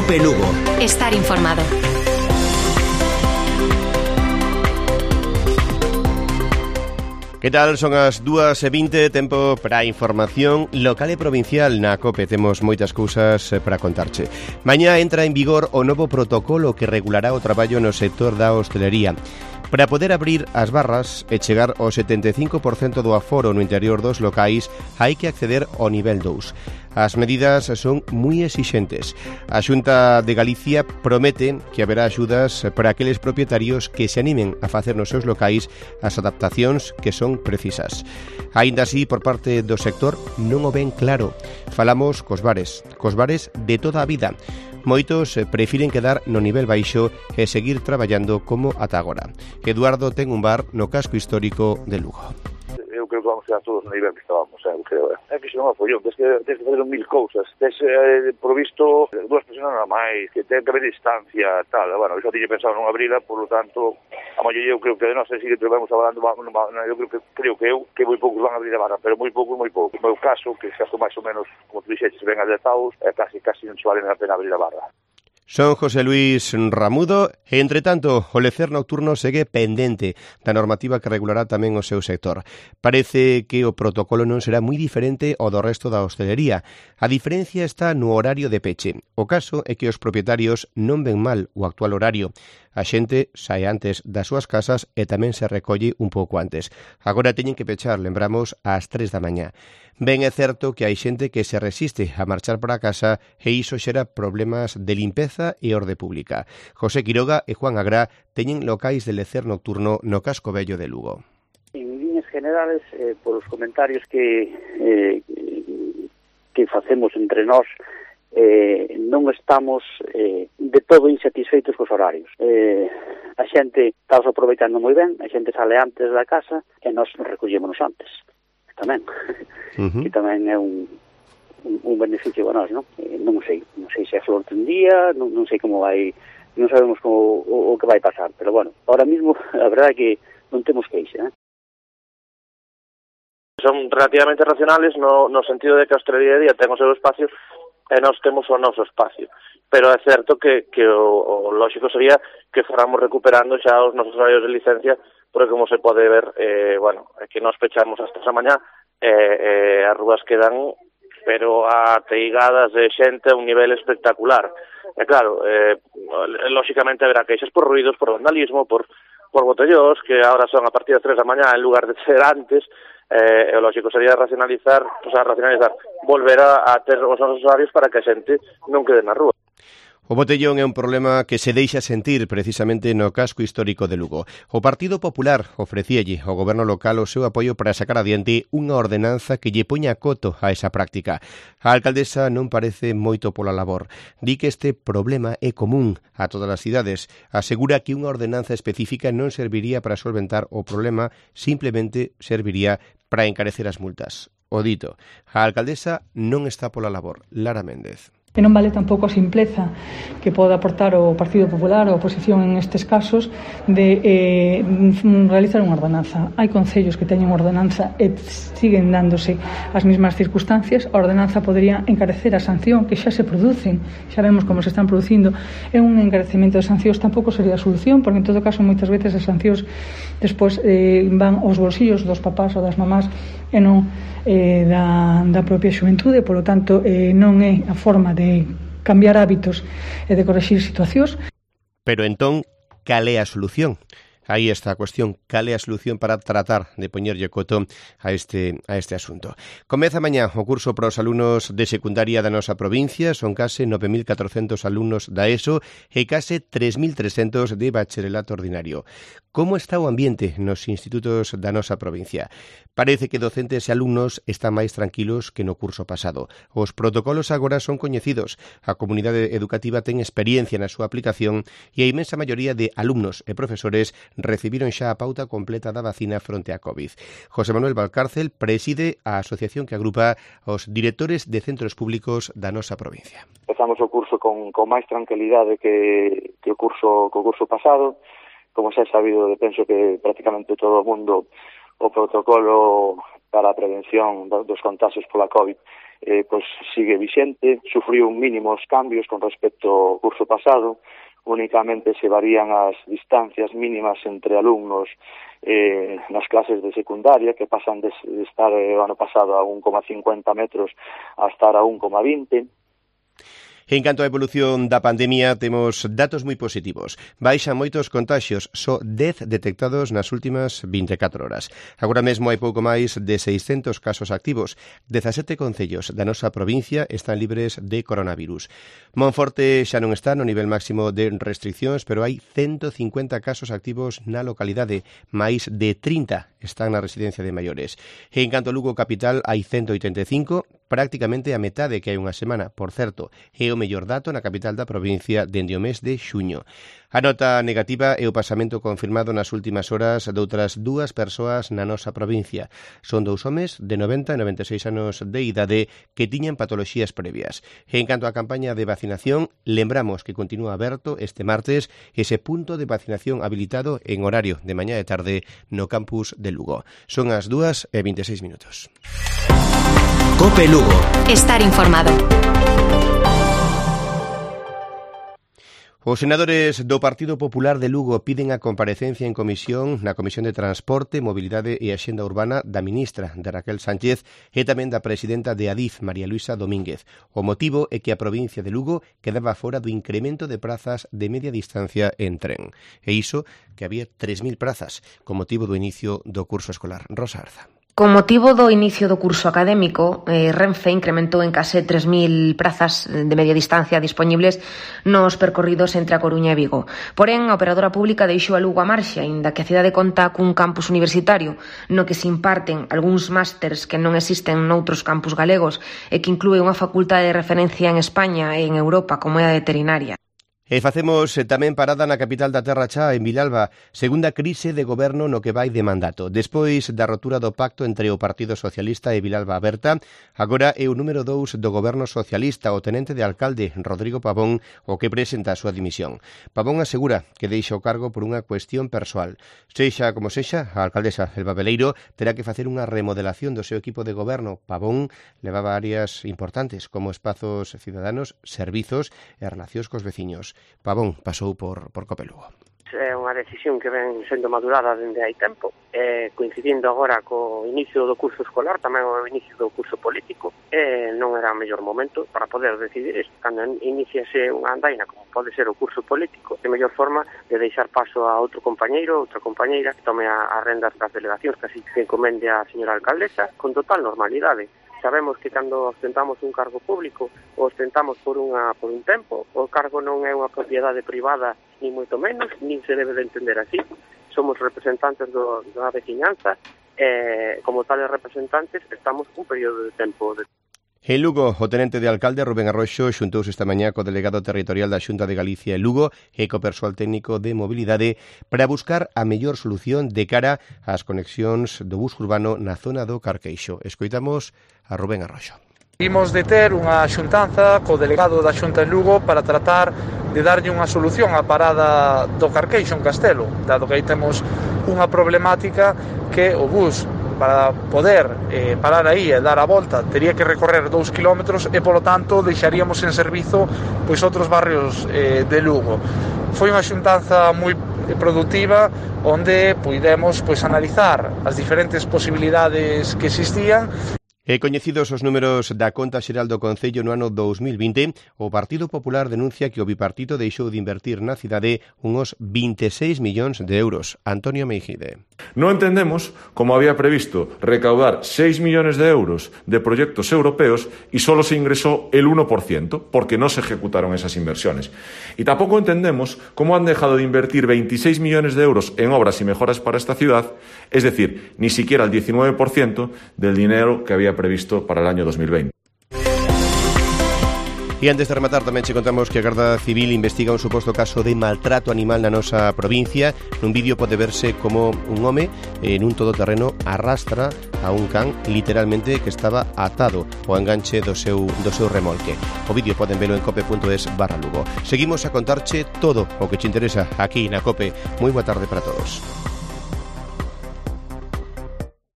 COPE Lugo. Estar informado. Que tal? Son as 2:20, tempo para a información local e provincial na COPE. Temos moitas cousas para contarche. Mañá entra en vigor o novo protocolo que regulará o traballo no sector da hostelería. Para poder abrir as barras e chegar ao 75% do aforo no interior dos locais, hai que acceder ao nivel 2. As medidas son moi exixentes. A Xunta de Galicia promete que haberá axudas para aqueles propietarios que se animen a facer nos seus locais as adaptacións que son precisas. Aínda así, por parte do sector, non o ven claro. Falamos cos bares de toda a vida. Moitos prefiren quedar no nivel baixo e seguir traballando como ata agora. Eduardo ten un bar no casco histórico de Lugo. Eu creo que vamos a todos no nivel que estábamos, eu creo. É que se non apoiou, tens que fazer mil cousas. Tens, por visto, dúas personas nada máis, que ten que haber distancia, tal. Bueno, eu xa tiñe pensado non abrila, por lo tanto, a maioría eu creo que non sei se que vamos hablando, eu creo que moi poucos van a abrir a barra, pero moi poucos. No meu caso, que xa máis ou menos, como tu dixeches, ven adetados, casi non se vale a pena abrir a barra. Son José Luis Ramudo e, entre tanto, o lecer nocturno segue pendente da normativa que regulará tamén o seu sector. Parece que o protocolo non será moi diferente ao do resto da hostelería. A diferencia está no horario de peche. O caso é que os propietarios non ven mal o actual horario. A xente sae antes das súas casas e tamén se recolle un pouco antes. Agora teñen que pechar, lembramos, ás 3 da mañá. Ben é certo que hai xente que se resiste a marchar para casa e iso xera problemas de limpeza e orde pública. José Quiroga e Juan Agrá teñen locais de lecer nocturno no casco vello de Lugo. En líneas generales, por os comentarios que facemos entre nós, non estamos de todo insatisfeitos cos horarios. A xente está aproveitando moi ben, a xente sale antes da casa e nós recollémonos antes tamén. Que tamén é un beneficio para nós, non? Non sei se é flor de un día, non sei como vai, non sabemos como o que vai pasar, pero bueno, ahora mismo a verdade é que non temos queixa, Son relativamente racionales no sentido de que a hostelería de día ten o seu espacio e nós temos o noso espacio. Pero é certo que o lógico sería que fóramos recuperando xa os nosos horarios de licencia, porque como se pode ver, que nós pechamos hasta esa mañá, as rúas quedan pero ateigadas de xente a un nivel espectacular. E claro, lógicamente haberá queixas por ruidos, por vandalismo, por botellós, que ahora son a partir das 3 da mañá en lugar de ser antes. O lógico sería racionalizar, volver a ter os nosos horarios para que a xente non quede na rúa. O botellón é un problema que se deixa sentir precisamente no casco histórico de Lugo. O Partido Popular ofrecíalle ao goberno local o seu apoio para sacar adiante unha ordenanza que lle poña coto a esa práctica. A alcaldesa non parece moito pola labor. Di que este problema é común a todas as cidades. Asegura que unha ordenanza específica non serviría para solventar o problema, simplemente serviría para encarecer as multas. O dito, a alcaldesa non está pola labor. Lara Méndez. E non vale tampouco a simpleza que pode aportar o Partido Popular ou a oposición en estes casos de realizar unha ordenanza. Hai concellos que teñen ordenanza e siguen dándose as mesmas circunstancias. A ordenanza podería encarecer a sanción que xa se producen, xa vemos como se están producindo, e un encarecemento de sancións tampouco sería a solución, porque en todo caso moitas veces as sancións despois van aos bolsillos dos papás ou das mamás e non da propia xuventude, polo tanto non é a forma de cambiar hábitos e de correxir situacións. Pero entón, cal é a solución? Aí está a cuestión, cal é a solución para tratar de poñerlle coto a este asunto. Comeza mañá o curso para os alumnos de secundaria da nosa provincia, son case 9.400 alumnos da ESO e case 3.300 de bacharelato ordinario. Como está o ambiente nos institutos da nosa provincia? Parece que docentes e alumnos están máis tranquilos que no curso pasado. Os protocolos agora son coñecidos, a comunidade educativa ten experiencia na súa aplicación e a inmensa maioría de alumnos e profesores recibiron xa a pauta completa da vacina fronte á COVID. José Manuel Valcárcel preside a asociación que agrupa os directores de centros públicos da nosa provincia. Empezamos o curso con máis tranquilidade que o curso pasado. Como xa é sabido, penso que prácticamente todo o mundo o protocolo para a prevención dos contagios pola COVID pois sigue vixente, sufriu mínimos cambios con respecto ao curso pasado, únicamente se varían as distancias mínimas entre alumnos nas clases de secundaria, que pasan de estar o ano pasado a 1,50 metros a estar a 1,20. En canto á evolución da pandemia, temos datos moi positivos. Baixan moitos contaxios, só 10 detectados nas últimas 24 horas. Agora mesmo hai pouco máis de 600 casos activos. 17 concellos da nosa provincia están libres de coronavirus. Monforte xa non está no nivel máximo de restriccións, pero hai 150 casos activos na localidade, máis de 30 están na residencia de maiores. En canto a Lugo capital, hai 185, prácticamente a metade que hai unha semana, por certo, é o mellor dato na capital da provincia dende o mes de xuño. A nota negativa é o pasamento confirmado nas últimas horas de outras 2 persoas na nosa provincia. Son 2 homes de 90 e 96 anos de idade que tiñan patoloxías previas. En canto á campaña de vacinación, lembramos que continúa aberto este martes ese punto de vacinación habilitado en horario de mañá e tarde no campus de Lugo. Son as 2:26 minutos. COPE Lugo. Estar informado. Os senadores do Partido Popular de Lugo piden a comparecencia en comisión na Comisión de Transporte, Mobilidade e Axenda Urbana da ministra de Raquel Sánchez e tamén da presidenta de Adif, María Luisa Domínguez. O motivo é que a provincia de Lugo quedaba fora do incremento de prazas de media distancia en tren. E iso que había 3.000 prazas con motivo do inicio do curso escolar. Rosa Arza. Con motivo do inicio do curso académico, Renfe incrementou en case 3.000 prazas de media distancia dispoñibles nos percorridos entre a Coruña e Vigo. Porén, a operadora pública deixou a Lugo a marxe, aínda que a cidade conta cun campus universitario no que se imparten algúns másters que non existen noutros campus galegos e que inclúe unha facultade de referencia en España e en Europa como é a veterinaria. E facemos tamén parada na capital da Terra Chá, en Vilalba, segunda crise de goberno no que vai de mandato. Despois da rotura do pacto entre o Partido Socialista e Vilalba Aberta, agora é o número 2 do goberno socialista, o tenente de alcalde, Rodrigo Pavón, o que presenta a súa dimisión. Pavón asegura que deixa o cargo por unha cuestión persoal. Sexa como sexa, a alcaldesa Elba Beleiro terá que facer unha remodelación do seu equipo de goberno. Pavón levaba áreas importantes como espazos cidadanos, servizos e relacións cos veciños. Pavón pasou por COPE Lugo. É unha decisión que ven sendo madurada dende hai tempo, coincidindo agora co inicio do curso escolar, tamén o inicio do curso político, non era o mellor momento para poder decidir isto. Cando iniciase unha andaina como pode ser o curso político, é mellor forma de deixar paso a outro compañeiro, outra compañeira que tome as rendas das delegacións, que así se encomende a señora alcaldesa, con total normalidade. Sabemos que cando ostentamos un cargo público o ostentamos por un tempo, o cargo non é unha propiedade privada ni moito menos, nin se debe de entender así. Somos representantes da veciñanza e como tales representantes estamos un período de tempo. En Lugo, o tenente de alcalde Rubén Arroxo xuntouse esta mañá co delegado territorial da Xunta de Galicia e Lugo e co persoal técnico de mobilidade para buscar a mellor solución de cara ás conexións do bus urbano na zona do Carqueixo. Escoitamos a Rubén Arroxo. Imos de ter unha xuntanza co delegado da Xunta en Lugo para tratar de darlle unha solución á parada do Carqueixo en Castelo, dado que aí temos unha problemática que o bus para poder parar aí e dar a volta tería que recorrer 2 kilómetros e polo tanto deixaríamos en servizo pois outros barrios de Lugo. Foi unha xuntanza moi productiva onde puidemos pois analizar as diferentes posibilidades que existían. E coñecidos os números da conta xeral do Concello no ano 2020, o Partido Popular denuncia que o bipartito deixou de invertir na cidade unos 26 millóns de euros. Antonio Meijide. Non entendemos como había previsto recaudar 6 millones de euros de proyectos europeos y solo se ingresó el 1%, porque no se ejecutaron esas inversiones. Y tampoco entendemos cómo han dejado de invertir 26 millones de euros en obras y mejoras para esta ciudad, es decir, ni siquiera el 19% del dinero que había previsto para el año 2020. E antes de rematar tamén che contamos que a Garda Civil investiga un suposto caso de maltrato animal na nosa provincia. Nun vídeo pode verse como un home en un todoterreno arrastra a un can literalmente que estaba atado ao enganche do seu remolque. O vídeo poden velo en cope.es/Lugo. Seguimos a contarche todo o que che interesa aquí na COPE. Moi boa tarde para todos.